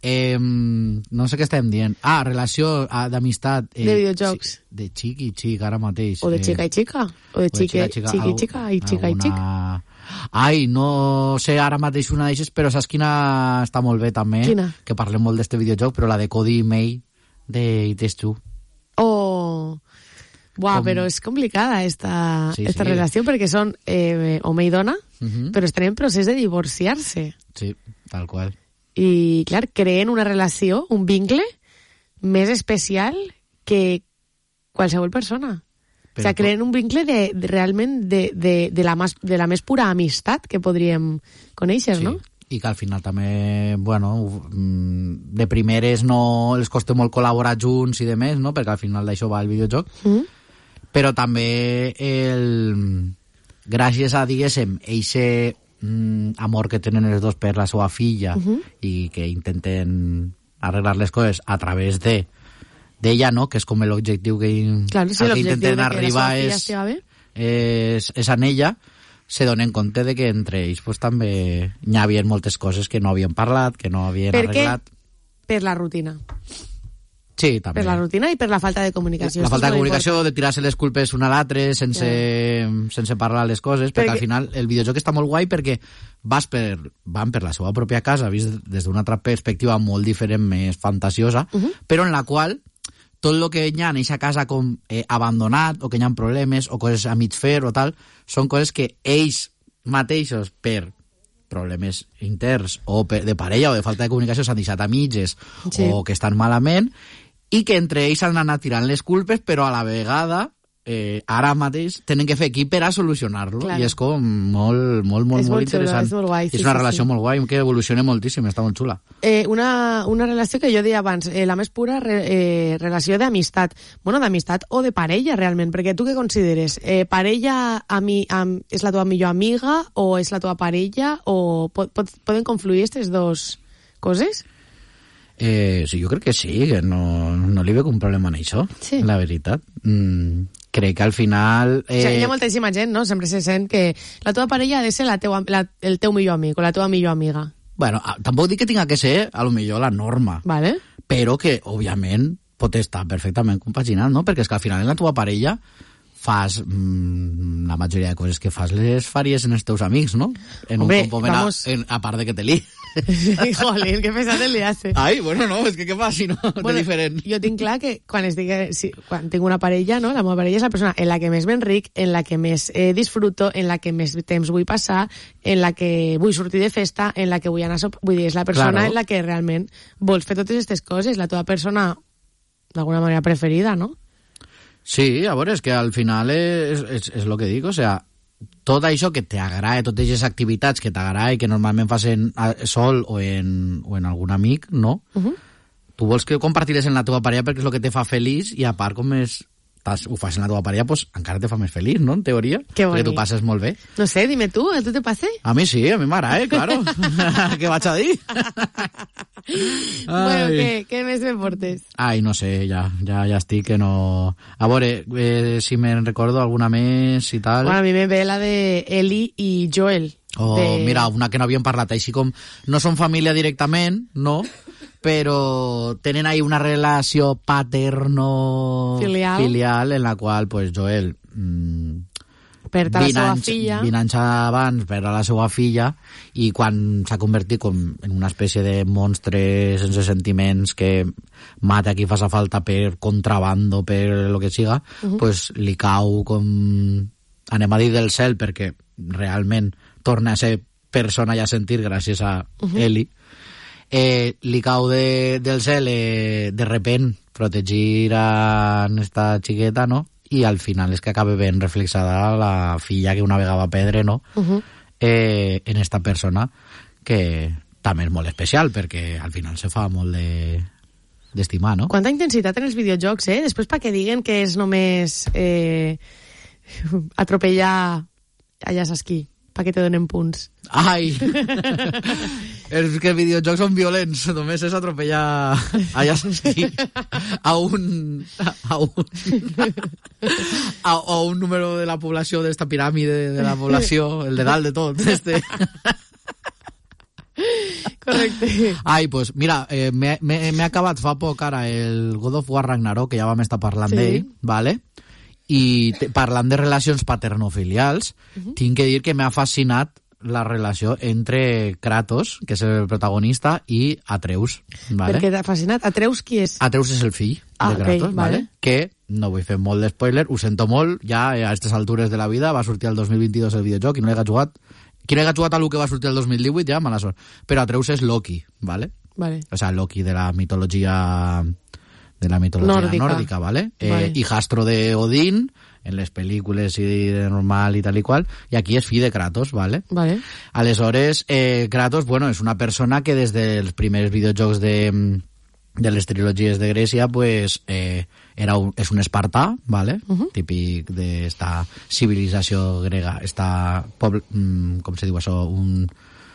S3: Eh, no sé què estem dient. Ah, relació ah, d'amistat. Eh,
S2: de videojocs.
S3: De xic i xic, ara mateix.
S2: O de xica
S3: eh,
S2: i xica. O de xica, xica, xica i xica i xica i xic.
S3: Ai, no sé ara mateix una d'eixes, però saps quina està molt bé també?
S2: Quina?
S3: Que parlem molt d'este videojoc, però la de Cody i May de It Takes Two.
S2: Oh... Buah,
S3: Com...
S2: però és complicada esta,
S3: sí,
S2: esta
S3: sí.
S2: relació perquè són eh, home i dona,
S3: Uh -huh.
S2: però estan en procés de divorciar-se.
S3: Sí, tal qual.
S2: I, clar, creen una relació, un vincle més especial que qualsevol persona. Però, o sigui, creen un vincle de, de realment de, de, de, la mas, de la més pura amistat que podríem conèixer,
S3: sí.
S2: no?
S3: I que al final també, bueno, de primeres no els costa molt col·laborar junts i de més, no? Perquè al final d'això va el videojoc. Mm -hmm. Però també el... gràcies a, diguéssim, eixe mm, amor que tenen els dos per la seva filla uh -huh. i que intenten arreglar les coses a través de d'ella, no? Que és com l'objectiu que,
S2: claro, sí,
S3: que intenten arribar és, és, és en ella, se donen compte de que entre ells pues, també hi havia moltes coses que no havien parlat, que no havien
S2: per
S3: arreglat.
S2: Què? Per la rutina.
S3: Sí, també.
S2: Per la rutina i per la falta de comunicació.
S3: La falta de comunicació, important. De tirar-se les culpes un a l'altre sense, yeah. sense parlar les coses, perquè, perquè al final el videojoc està molt guai perquè vas per, van per la seva pròpia casa, vist des d'una altra perspectiva molt diferent, més fantasiosa, uh -huh. però en la qual tot el que hi ha en aquesta casa com eh, abandonat, o que hi ha problemes, o coses a mig fer o tal, són coses que ells mateixos, per problemes interns o de parella o de falta de comunicació, s'han deixat a mitges sí. o que estan malament, i que entre ells han anat tirant les culpes, però a la vegada eh, ara mateix tenen que fer equip per a solucionar-lo, claro. I és com molt, molt, molt,
S2: és
S3: molt, molt interessant.
S2: Xulo, és molt guai, sí,
S3: és una
S2: sí,
S3: relació
S2: sí.
S3: molt guai, que evoluciona moltíssim, està molt xula.
S2: Eh, una, una relació que jo deia abans, eh, la més pura re, eh, relació d'amistat. Bueno, d'amistat o de parella, realment, perquè tu què consideres? Eh, parella ami, am, és la teva millor amiga o és la teva parella o pot, pot, poden confluir aquestes dues coses?
S3: Eh, sí, jo crec que sí, que no, no li veig un problema en això, sí. La veritat. Mm, crec que al final... Eh...
S2: O sigui, hi ha moltíssima gent, no? Sempre se sent que la teva parella ha de ser la teua, la, el teu millor amic o la teva millor amiga.
S3: Bueno, tampoc dic que tinga que ser, a lo millor, la norma.
S2: Vale.
S3: Però que, òbviament, pot estar perfectament compaginat, no? Perquè és que al final en la teva parella fas mmm, la majoria de coses que fas les faries en els teus amics, no? En
S2: Hombre,
S3: un moment
S2: vamos...
S3: a, en, a part de que te li.
S2: Jolín, que pesat el liasse.
S3: Ai, bueno, no, és que què fa si no?
S2: Bueno,
S3: de diferent.
S2: Jo tinc clar que quan, estic, si, quan tinc una parella, no? La meva parella és la persona en la que més m'enric, en la que més eh, disfruto, en la que més temps vull passar, en la que vull sortir de festa, en la que vull anar a sopar. Vull dir, és la persona claro. En la que realment vols fer totes aquestes coses, la teva persona d'alguna manera preferida, no?
S3: Sí, a veure, és que al final és, és, és el que dic, o sea, tot això que t'agrada, totes aquestes activitats que t'agrada i que normalment fas en, sol o en, o en algun amic, no? Uh -huh. Tu vols que compartir-les en la teva parella perquè és el que te fa feliç i a part com és, ho fas en la teva parella, pues encara te fa més feliç, no? En teoria.
S2: Que bonic.
S3: Perquè tu passes molt bé.
S2: No sé, dime tu, a tu te passa?
S3: A mi sí, a mi m'agrada, eh, claro. Què vaig a dir?
S2: Bueno, què, què més me portes?
S3: Ai, no sé, ja, ja, ja estic que no... A veure, eh, si me'n recordo alguna més i tal...
S2: Bueno, a mi me ve la de Ellie i Joel.
S3: Oh,
S2: de...
S3: mira, una que no havíem parlat, així com... No són família directament, no? Però tenen ahí una relació paterno-filial
S2: filial.
S3: En la qual, pues, Joel... Mmm,
S2: perd a la seva filla.
S3: vint anys abans perd a la seva filla i quan s'ha convertit com en una espècie de monstre sense sentiments que mata qui fa falta per contrabando, per lo que siga, uh -huh. pues li cau com... anem a dir del cel perquè realment torna a ser persona i a sentir gràcies a uh -huh. Ellie. Eh, li cau de, del cel eh, de repent protegir a esta xiqueta, no? I al final és que acaba ben reflexada la filla que una vegada va perdre, no? Uh -huh. eh, en esta persona que també és molt especial perquè al final se fa molt de d'estimar, no?
S2: Quanta intensitat en els videojocs, eh? Després perquè diguen que és només eh, atropellar allà saps qui, perquè te donen punts.
S3: Ai! És que els videojocs són violents, només és atropellar allà sí, a un a un a, a un número de la població d'esta piràmide de la població, el de dalt de tot, este.
S2: Correcte.
S3: Ai, pues mira, eh, m'he acabat fa poc ara el God of War Ragnarok, que ja vam estar parlant sí. d'ell, vale? I te, parlant de relacions paternofilials, uh -huh. tinc que dir que m'ha fascinat la relació entre Kratos, que és el protagonista, i Atreus. Vale?
S2: Per què t'ha fascinat? Atreus qui és?
S3: Atreus és el fill
S2: ah,
S3: de Kratos,
S2: okay,
S3: vale?
S2: vale.
S3: Que, no vull fer molt d'espoiler, ho sento molt, ja a aquestes altures de la vida va sortir el dos mil vint-i-dos el videojoc i no l'he jugat. Qui no l'he jugat a lo que va sortir el dos mil divuit, ja, mala sort. Però Atreus és Loki, ¿vale?
S2: Vale.
S3: O sea, Loki de la mitología de la mitología nórdica, nórdica ¿vale?
S2: vale.
S3: Eh, hijastro de Odín en les pel·lícules i de normal i tal i qual, i aquí és fill de Kratos, ¿vale?
S2: Vale.
S3: Aleshores, eh, Kratos, bueno, és una persona que des dels primers videojocs de, de les trilogies de Grècia, pues, eh, era un, és un espartà, ¿vale? Uh-huh. Típic d'esta civilització grega, esta poble, mm, com se diu això, un...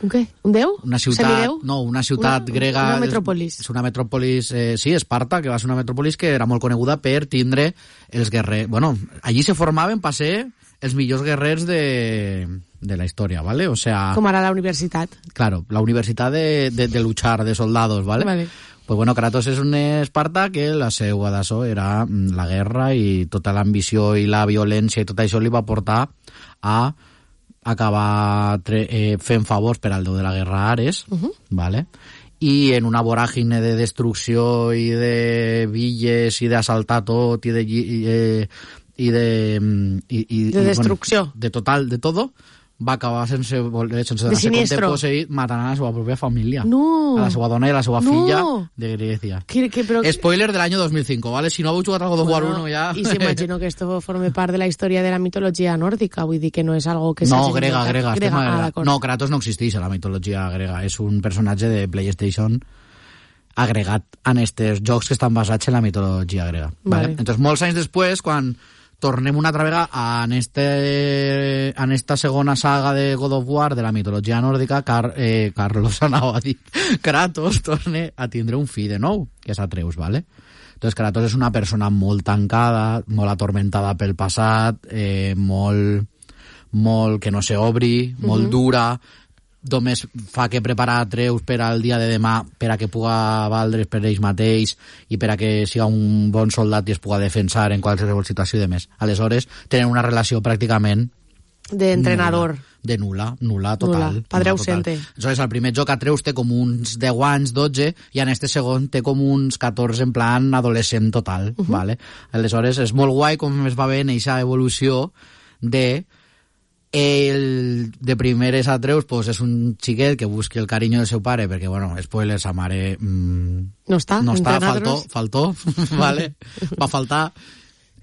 S2: Un què? Un déu?
S3: Una ciutat,
S2: Semideu?
S3: no, una ciutat
S2: una,
S3: grega...
S2: Una metròpolis.
S3: És una metròpolis, eh, sí, Esparta, que va ser una metròpolis que era molt coneguda per tindre els guerrers... Bueno, allí se formaven per ser els millors guerrers de, de la història, ¿vale? O sea...
S2: Com ara la universitat.
S3: Claro, la universitat de, de, de luchar, de soldados, ¿vale?
S2: Vale.
S3: Pues bueno, Kratos és un Esparta que la seva d'això era la guerra i tota l'ambició i la violència i tot això li va portar a acabar eh, fent favors per al déu de la guerra Ares, uh -huh. ¿vale? I en una voràgine de destrucció i de villes i d'assaltar tot i de... I, eh, i de... I, i,
S2: de destrucció.
S3: Bueno, de total, de todo, va acabar sense, sense
S2: donar-se compte
S3: posseït, matant a la seva pròpia família.
S2: No.
S3: A la seva dona i a la seva
S2: no.
S3: filla de Grècia.
S2: ¿Qué, qué, pero...
S3: Spoiler del año dos mil cinco, ¿vale? Si no heu jugat al God of War
S2: bueno,
S3: uno ya...
S2: Y se imagino que esto forme part de la història de la mitologia nòrdica, vull dir que no és algo que...
S3: No, grega, grega.
S2: grega.
S3: grega.
S2: Ah,
S3: no, Kratos no existeix a la mitologia grega. És un personatge de PlayStation agregat en estos jocs que estan basats en la mitologia grega. Vale. Vale? Entonces, molts anys després, quan tornem una altra vegada en, este, en esta segona saga de God of War de la mitologia nòrdica, Car, eh, Carlos anava a dir, Kratos torna a tindre un fill de nou, que és Atreus, ¿vale? Entonces Kratos és una persona molt tancada, molt atormentada pel passat, eh, molt, molt que no s'obri, molt uh -huh. dura, només fa que preparar Atreus per al dia de demà per a que puga valdre's per ells mateix i per a que siga un bon soldat i es puga defensar en qualsevol situació i de més. Aleshores, tenen una relació pràcticament
S2: d'entrenador.
S3: Nula, de nula, nula total.
S2: Nula, padre
S3: nula
S2: ausente.
S3: Total. Aleshores, al primer joc Atreus té com uns deu anys, dotze, i en este segon té com uns catorze en plan adolescent total, uh -huh. ¿vale? Aleshores, és molt guai com es va veure en aquesta evolució de... El de primer és Atreus, pues és un xiquet que busqui el carinyo del seu pare, perquè, bueno, spoiler, sa mare... Mmm,
S2: no està,
S3: no està, faltó, faltó, vale? Va faltar.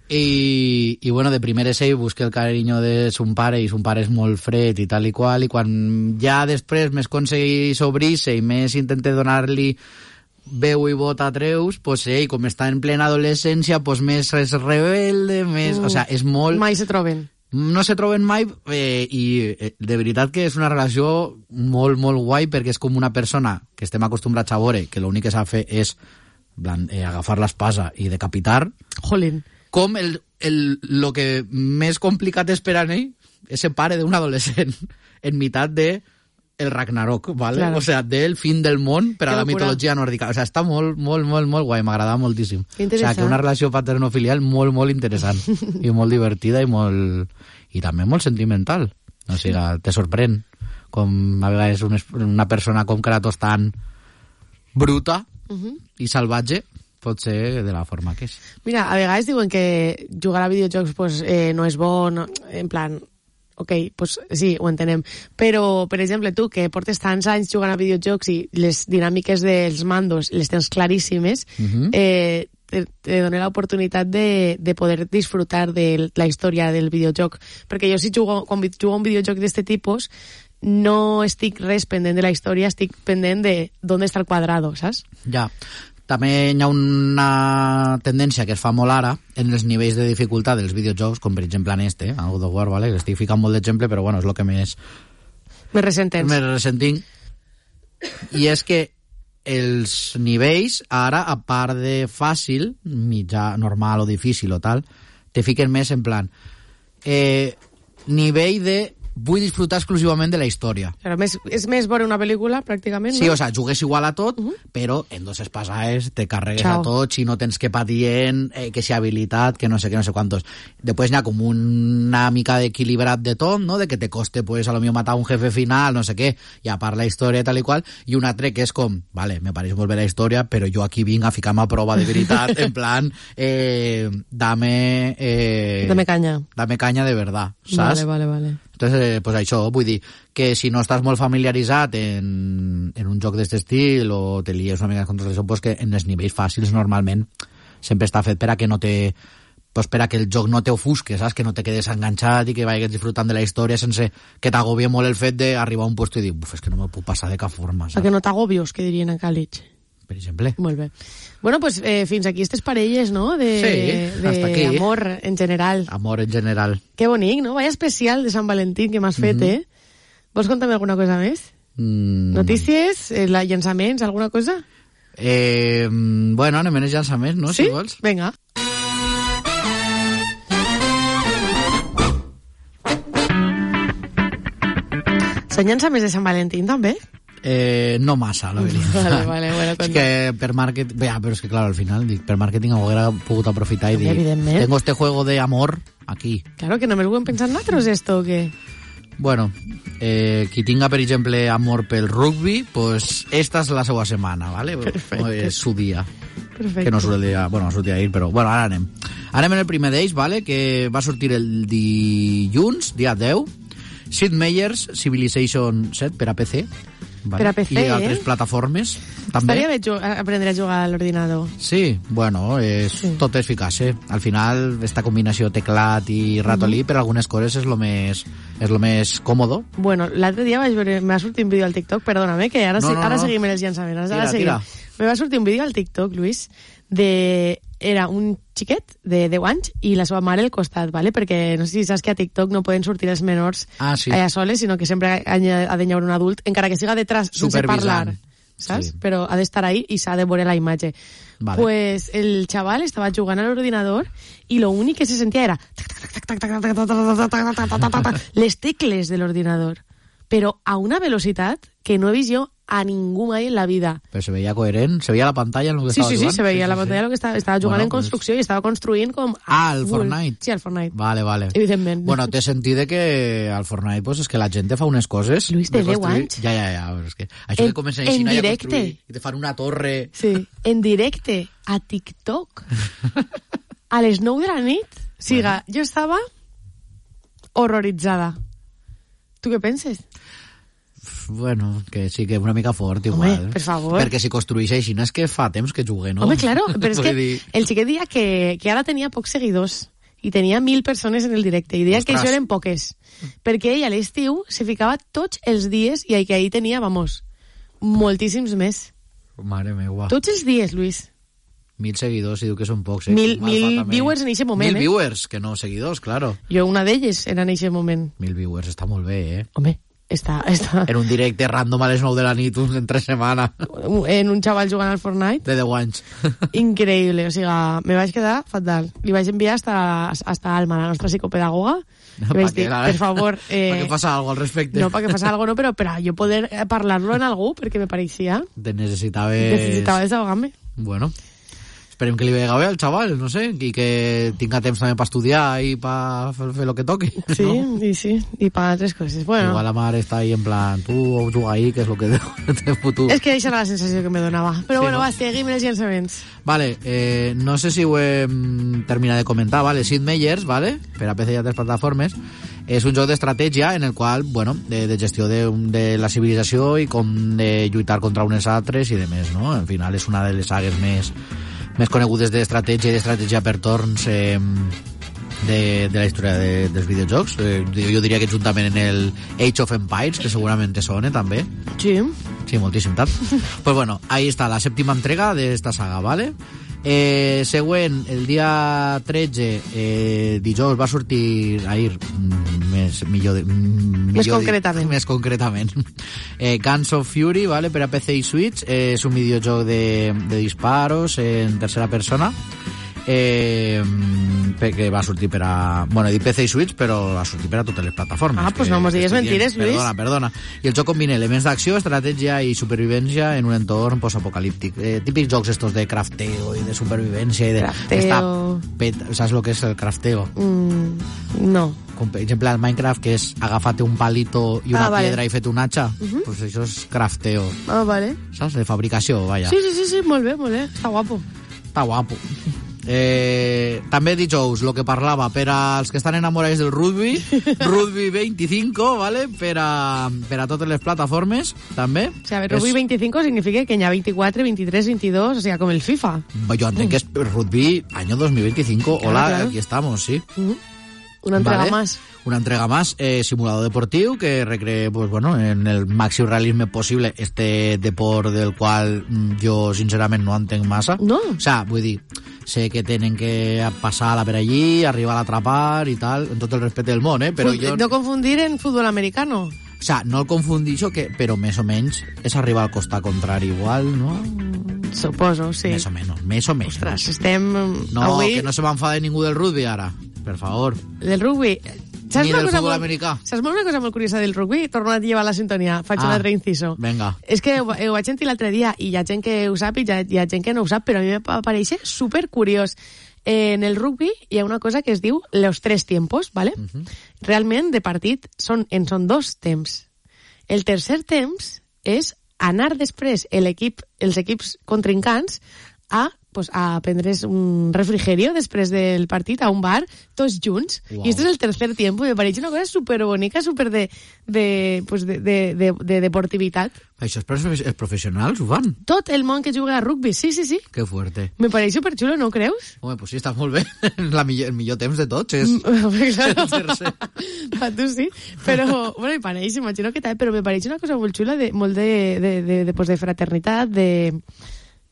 S3: I, i, bueno, de primer és ell busca el carinyo de son pare, i son pare és molt fred i tal i qual, i quan ja després més aconsegueix obrir-se i més intenta donar-li veu i vot a Atreus, pues ell, com està en plena adolescència, pues més és rebelde, més... Uh, o sea, és molt...
S2: Mai se troben.
S3: No se troben mai eh, i eh, de veritat que és una relació molt, molt guai perquè és com una persona que estem acostumbrats a veure que l'únic que s'ha de fer és blan, eh, agafar l'espasa i decapitar.
S2: Jolín.
S3: Com el, el, lo que més complicat és per a ell és ser pare d'un adolescent en meitat de el Ragnarok, ¿vale? Claro. O sea, del fin del món per a la mitologia nòrdica. O sea, està molt, molt, molt, molt guai, m'agrada moltíssim. O sea, que una relació paternofilial molt, molt interessant i molt divertida i molt... i també molt sentimental. O sigui, te sorprèn com a vegades una persona com Kratos tan bruta uh-huh. i salvatge pot ser de la forma que és.
S2: Mira, a vegades diuen que jugar a videojocs pues, eh, no és bo, no, en plan... Ok, pues sí, ho entenem. Però, per exemple, tu, que portes tants anys jugant a videojocs i les dinàmiques dels mandos les tens claríssimes, uh-huh. eh, te, te dona l'oportunitat de, de poder disfrutar de la història del videojoc. Perquè jo, si jugo, quan jugo un videojoc d'aquest tipus, no estic res pendent de la història, estic pendent de d'on està el quadrado, saps?
S3: Ja. També hi ha una tendència que es fa molt ara en els nivells de dificultat dels videojocs, com per exemple en este, en God of War, ¿vale? Estic ficant molt d'exemple, però bueno, és el que més...
S2: Més resentents.
S3: Més ressentim. i és que els nivells, ara, a part de fàcil, mitjà, normal o difícil o tal, te fiquen més en plan eh, nivell de vull disfrutar exclusivament de la història.
S2: Però més, és més veure una pel·lícula, pràcticament,
S3: sí,
S2: no?
S3: o sea, jugues igual a tot, uh-huh. però en dos espases te carregues Chao. A tot, si no tens que patir en eh, que si habilitat, que no sé, que no sé quantos. Després n'hi ha com una mica d'equilibrat de tot, no? De que te coste, pues, a lo millor matar un jefe final, no sé què, i a part la història tal i qual, i un altre que és com, vale, me pareix molt bé la història, però jo aquí vinc a ficar-me a prova de veritat, en plan, eh, dame... Eh,
S2: dame canya.
S3: Dame canya de verdad, saps?
S2: Vale, vale, vale.
S3: Entonces, eh, pues això, vull dir que si no estàs molt familiaritzat en, en un joc d'aquest estil o te lies una mica contra això, pues que en els nivells fàcils normalment sempre està fet per a que no te... pues per a que el joc no t'ofusque, saps? Que no te quedes enganxat i que vagis disfrutant de la història sense que t'agobie molt el fet d'arribar a un puesto i dir, uf, és que no me puc passar de cap forma, saps?
S2: A que no t'agobios, que dirien a Càlig.
S3: Per exemple.
S2: Molt bé. Bueno, pues eh, fins aquí aquestes parelles, no? De,
S3: sí,
S2: de
S3: hasta aquí.
S2: Amor en general.
S3: Amor en general.
S2: Que bonic, no? Vaya especial de Sant Valentín que m'has fet, mm-hmm. eh? Vols contar-me alguna cosa més?
S3: Mm.
S2: Notícies? Eh, la, llançaments? Alguna cosa?
S3: Eh, bueno, anem en els llançaments, no?
S2: Sí?
S3: Si vols.
S2: Vinga. Són llançaments de Sant Valentín, també?
S3: Eh, no massa, la veritat.
S2: Vale, vale, bueno,
S3: és que per màrqueting... Ja, però és que, clar, al final, dic, per màrqueting hauria pogut aprofitar i dir,
S2: evidentment.
S3: Tengo este juego de amor aquí.
S2: Claro, que només ho hem pensat nosaltres, esto, o què?
S3: Bueno, eh, qui tinga, per exemple, amor pel rugby, pues esta és la seva setmana, ¿vale?
S2: Perfecte.
S3: És su dia.
S2: Perfecte.
S3: Que no surt el dia... Bueno, no surt ahir, però... Bueno, ara anem. Anem en el primer d'ells, ¿vale? Que va sortir el dilluns, dia deu. Sid Meier's Civilization set per a P C. Vale.
S2: Per a P C,
S3: i altres
S2: eh?
S3: plataformes també.
S2: Estaria bé ju- aprendre a jugar a l'ordinador.
S3: Sí, bueno, és,
S2: Sí.
S3: tot és eficaç. Al final, esta combinació teclat i ratolí, uh-huh. per algunes coses és lo més, és lo més còmodo.
S2: Bueno, l'altre dia vaig veure, me va sortir un vídeo al TikTok, perdóname, que ara,
S3: No,
S2: se,
S3: no,
S2: ara
S3: no.
S2: seguim en els llançaments. Ara
S3: Tira,
S2: seguim.
S3: tira.
S2: Me va sortir un vídeo al TikTok, Luis, de... Era un xiquet de deu anys i la seva mare al costat, ¿vale? Perquè no sé si saps que a TikTok no poden sortir els menors
S3: Ah, sí.
S2: allà soles, sinó que sempre ha de haver un adult, encara que siga detrás sense
S3: Supervisant.
S2: parlar, saps?
S3: Sí.
S2: Però ha d'estar ahí i s'ha de veure la imatge.
S3: Vale.
S2: Pues el chaval estava jugant a l'ordinador i lo únic que se sentia era les tecles de l'ordinador, però a una velocitat que no he vist jo a ningú mai en la vida.
S3: Però se veia coherent, se veia la pantalla en el que
S2: Sí,
S3: estava
S2: sí, sí,
S3: jugant.
S2: se veia la pantalla lo que estava, estava jugant
S3: Bueno,
S2: en construcció i estava construint com...
S3: Ah, el
S2: full.
S3: Fortnite.
S2: Sí, el Fortnite.
S3: Vale, vale.
S2: Evidentment.
S3: Bueno, té sentit de que al Fortnite pues, és que la gent fa unes coses...
S2: Luis, té
S3: de
S2: deu
S3: construir-
S2: anys.
S3: Ja, ja, ja. Però és que això
S2: En-
S3: que comencen
S2: en
S3: així a
S2: directe.
S3: construir i te fan una torre...
S2: Sí, en directe, a TikTok, a les nou de la nit. Siga, jo estava horroritzada. Tu què penses?
S3: Bueno, que sí que una mica fort,
S2: Home,
S3: igual.
S2: per favor.
S3: Perquè si construeix així, no és que fa temps que jugue, no?
S2: Home, claro, però és que
S3: Vull dir-
S2: el xiquet deia que, que ara tenia pocs seguidors i tenia mil persones en el directe i deia
S3: Ostres.
S2: que això eren poques perquè ell a l'estiu se ficava tots els dies i que ahir tenia, vamos, moltíssims més.
S3: Mare meva.
S2: Tots els dies, Luis.
S3: Mil seguidors, si diu que són pocs. Eh?
S2: Mil,
S3: Mal
S2: mil
S3: fa també.
S2: viewers en eixe moment,
S3: Mil
S2: eh?
S3: viewers, que no seguidors, claro.
S2: Jo una d'elles era en eixe moment.
S3: Mil viewers, està molt bé, eh?
S2: Home, està, està
S3: En un directe random a les nou de la nit, uns en tres setmanes,
S2: en un xaval jugant al Fortnite.
S3: de deu anys.
S2: Increïble, o sigui, me vaig quedar fatal. Li vaig enviar hasta, hasta Alma, la nostra psicopedagoga, i
S3: Pa
S2: vaig
S3: que
S2: dir,
S3: la-
S2: per favor... Eh,
S3: Perquè passa algo al respecte.
S2: no, perquè passa algo, no, però per a jo poder eh, parlar-lo en algú, perquè me pareixia...
S3: Te necessitaves...
S2: Necessitava desahogar-me.
S3: Bueno, esperem que li vegi bé al xaval, no sé, i que tinga temps també per estudiar i per fer, fer lo que toqui.
S2: Sí,
S3: no?
S2: i sí, i per altres coses. Bueno,
S3: Igual la mare està ahí en plan, tu juga ahí, que és lo que té futur.
S2: és que això era la sensació que me donava. Però
S3: Sí,
S2: bueno,
S3: no?
S2: va, seguim els llançaments.
S3: Vale, eh, no sé si ho hem terminat de comentar, vale? Sid Meier's, vale? Per a P C i altres plataformes. És un joc d'estratègia en el qual, bueno, de, de gestió de, de la civilització i com de lluitar contra unes altres i de més, no? Al final és una de les sagues més, més conegudes d'estratègia i d'estratègia per torns eh, de, de la història de, dels videojocs. Eh, jo diria que juntament en el Age of Empires, que segurament te sona també.
S2: Sí.
S3: Sí, moltíssim tant. Pues bueno, ahí está la séptima entrega de esta saga, ¿vale? Eh, següent, el dia tretze, eh, dijous va sortir ahir, mm, més, millor, de, mm,
S2: més
S3: millor
S2: concretament,
S3: di, més concretament. Eh, Guns of Fury, vale, per a P C i Switch, eh, és un videojoc de, de disparos en tercera persona, eh, que va sortir per a... Bueno, he dit P C i Switch, però va sortir per a totes les plataformes.
S2: Ah, pues no mos digues mentires, Lluís.
S3: Perdona, perdona. I el joc combina elements d'acció, estratègia i supervivència en un entorn postapocalíptic. Eh, típics jocs estos de crafteo i de supervivència i de...
S2: Crafteo...
S3: Pet... Saps el que és el crafteo?
S2: Mm, no.
S3: Com, per exemple, el Minecraft, que és agafar-te un palito i una
S2: ah, vale.
S3: piedra i fer-te un hacha,
S2: uh-huh.
S3: pues això és crafteo.
S2: Ah, vale.
S3: Saps? De fabricació, vaja.
S2: Sí, sí, sí, sí, molt bé, molt bé. Està guapo.
S3: Està guapo. Eh, també dijous, el que parlava, per als que estan enamorats del rugby, rugby veinticinc, ¿vale? Per a, per a totes les plataformes, també.
S2: O sea, rugby es... veinticinc significa que hi ha veinticuatro, veintitrés, veintidós, o sea, com el FIFA.
S3: Yo entenc que és rugby año dos mil veinticinco. Claro, hola, claro. Aquí estamos, sí.
S2: Uh-huh. Una entrega
S3: vale.
S2: más.
S3: Una entrega más, eh, simulador deportiu que recree, pues bueno, en el màxim realisme possible este deport del qual jo sincerament no entenc massa.
S2: No.
S3: O sea, vull dir, sé que tenen que passar-la per allí, arribar a l'atrapar i tal, en tot el respecte del món, eh? Però
S2: F-
S3: jo...
S2: No confundir en futbol americano.
S3: O sea, no el confundixo, que, però més o menys és arribar al costat contrari igual, no?
S2: Suposo, sí.
S3: Més o menys, més o menys.
S2: Ostres, estem...
S3: No,
S2: avui...
S3: que no se m'enfade ningú del rugby ara, per favor.
S2: Del rugby... Saps
S3: Ni
S2: una
S3: del
S2: cosa
S3: futbol
S2: molt,
S3: americà.
S2: Saps una cosa molt curiosa del rugby? Torno a llevar la sintonia, faig ah, un altre inciso.
S3: Venga.
S2: És que ho, ho vaig sentir l'altre dia i hi ha gent que ho sap i hi ha, hi ha gent que no ho sap, però a mi m'apareix supercuriós. Eh, en el rugby hi ha una cosa que es diu los tres tiempos, ¿vale? Uh-huh. Realment, de partit, són, en són dos temps. El tercer temps és anar després l'equip, els equips contrincants a pues, a prendre's un refrigerio després del partit a un bar, tots junts. Wow. I este és el tercer tiempo, i me pareix una cosa superbonica, super de, de, pues de, de, de, de deportivitat.
S3: Això és per els professionals, ho fan?
S2: Tot el món que juga a rugby, sí, sí, sí.
S3: Que fuerte.
S2: Me pareix superxulo, no ho creus?
S3: Home, pues sí, està molt bé. La millor, el millor temps de tots és
S2: claro.
S3: el tercer.
S2: A tu sí. Però, bueno, me pareix, imagino que tal, però me pareix una cosa molt xula, de, molt de, de, de, de, pues de fraternitat, de,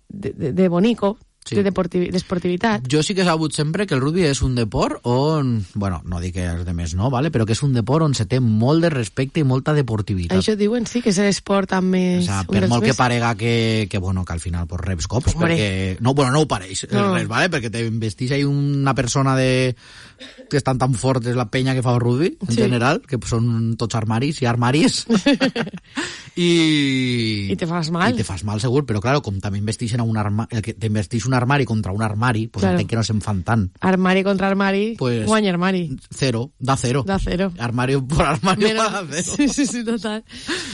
S2: de, de, de bonico. Sí. De desportivitat.
S3: Jo sí que he sabut sempre que el rugby és un deport on, bueno, no dic que els demés no, vale? Però que és un deport on se té molt de respecte i molta deportivitat.
S2: Això diuen, sí, que és l'esport amb més...
S3: O sea, per molt més... que parega que, que, bueno, que al final pues, reps cops, Hombre. perquè... No, bueno, no ho pareix, no. Res, vale? Perquè t'investís ahí una persona de... que estan tan fortes la penya que fa el rugby, en sí. general, que són tots armaris i armaris. I...
S2: I te fas mal.
S3: I te fas mal, segur, però claro, com també investixen a un armari, el que t'investix un armari contra un armari, pues claro. entenc que no se'n fan tant.
S2: Armari contra armari, pues, guanya armari.
S3: Cero, da cero.
S2: Da cero.
S3: Armario por armario
S2: Mira,
S3: da cero.
S2: Sí, sí, sí, total.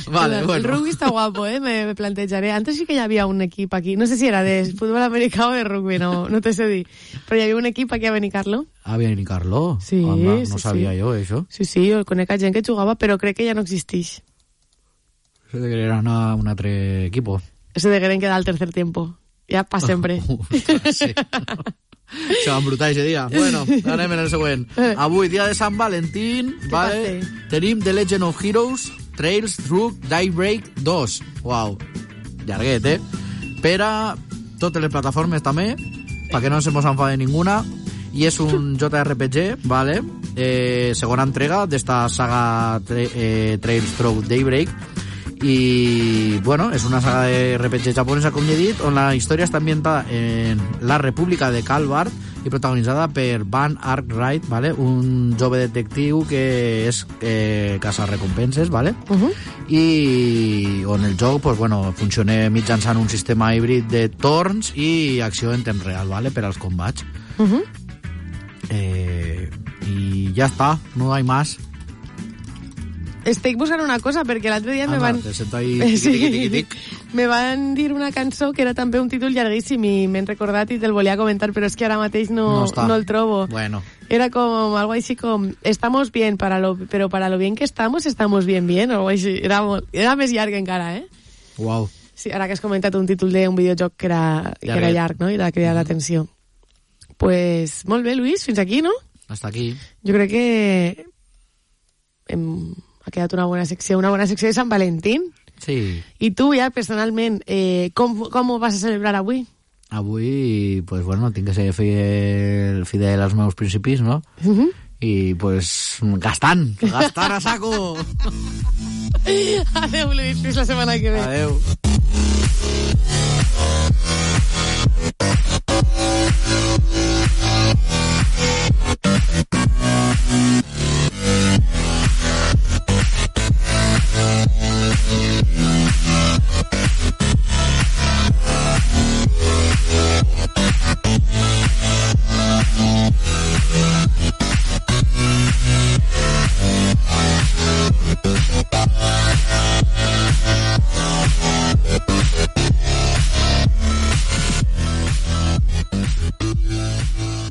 S3: Vale,
S2: el,
S3: bueno.
S2: El rugby está guapo, eh, me, me plantejaré. Antes sí que ya había un equipo aquí, no sé si era de fútbol americano o de rugby, no, no te sé dir. Però hi havia un equip aquí a Benicarlo.
S3: A Benicarlo?
S2: Sí,
S3: Anda, no
S2: sí,
S3: sabia
S2: sí.
S3: jo, això.
S2: Sí, sí, jo conec a gent que jugava, però crec que ja no existeix.
S3: Se degueren a un altre equipo.
S2: Se degueren quedar al tercer tiempo. Ja pa sempre.
S3: Sí. Se van brutar ese dia. Bueno, anem en el següent. Avui, dia de Sant Valentín, vale? Tenim The Legend of Heroes Trails Through Daybreak dos. Uau, llarguet, eh? Per a totes les plataformes també, perquè no se mos enfade ninguna. I és un J R P G, vale? Eh, segona entrega d'esta saga tra eh, Trails Through Daybreak. I, bueno, és una saga de R P G japonesa, com ja he dit, on la història està ambientada en la República de Calvard i protagonitzada per Van Arkwright, ¿vale? Un jove detectiu que és eh, caça-recompenses, ¿vale?
S2: Uh-huh.
S3: I on el joc pues, bueno, funciona mitjançant un sistema híbrid de torns i acció en temps real, ¿vale? Per als combats.
S2: Uh-huh.
S3: Eh, I ja està, no hi ha més.
S2: Estic buscant una cosa, perquè l'altre dia
S3: ah,
S2: me van...
S3: Te sento ahí, tiqui, tiqui, tiqui, tiqui.
S2: Me van dir una cançó que era també un títol llarguíssim i m'he recordat i te'l volia comentar, però és que ara mateix no,
S3: no,
S2: no el trobo.
S3: Bueno.
S2: Era com algo així com estamos bien, para lo, pero para lo bien que estamos, estamos bien bien, o algo així. Era, molt, era més llarg encara, eh?
S3: Uau.
S2: Sí, ara que has comentat un títol d'un videojoc que era, que era llarg, no? I era cridar mm. l'atenció. Pues molt bé, Luis, fins aquí, no?
S3: Hasta aquí.
S2: Jo crec que hem... ha quedat una bona secció, una bona secció de Sant Valentín.
S3: Sí.
S2: I tu ja, personalment, eh, com, com ho vas a celebrar avui?
S3: avui, pues bueno, tinc que ser fidel, fidel als meus principis, no?
S2: Uh-huh.
S3: I, pues, gastant, gastant a saco.
S2: Adéu, Luis, fins la setmana que ve.
S3: Adéu.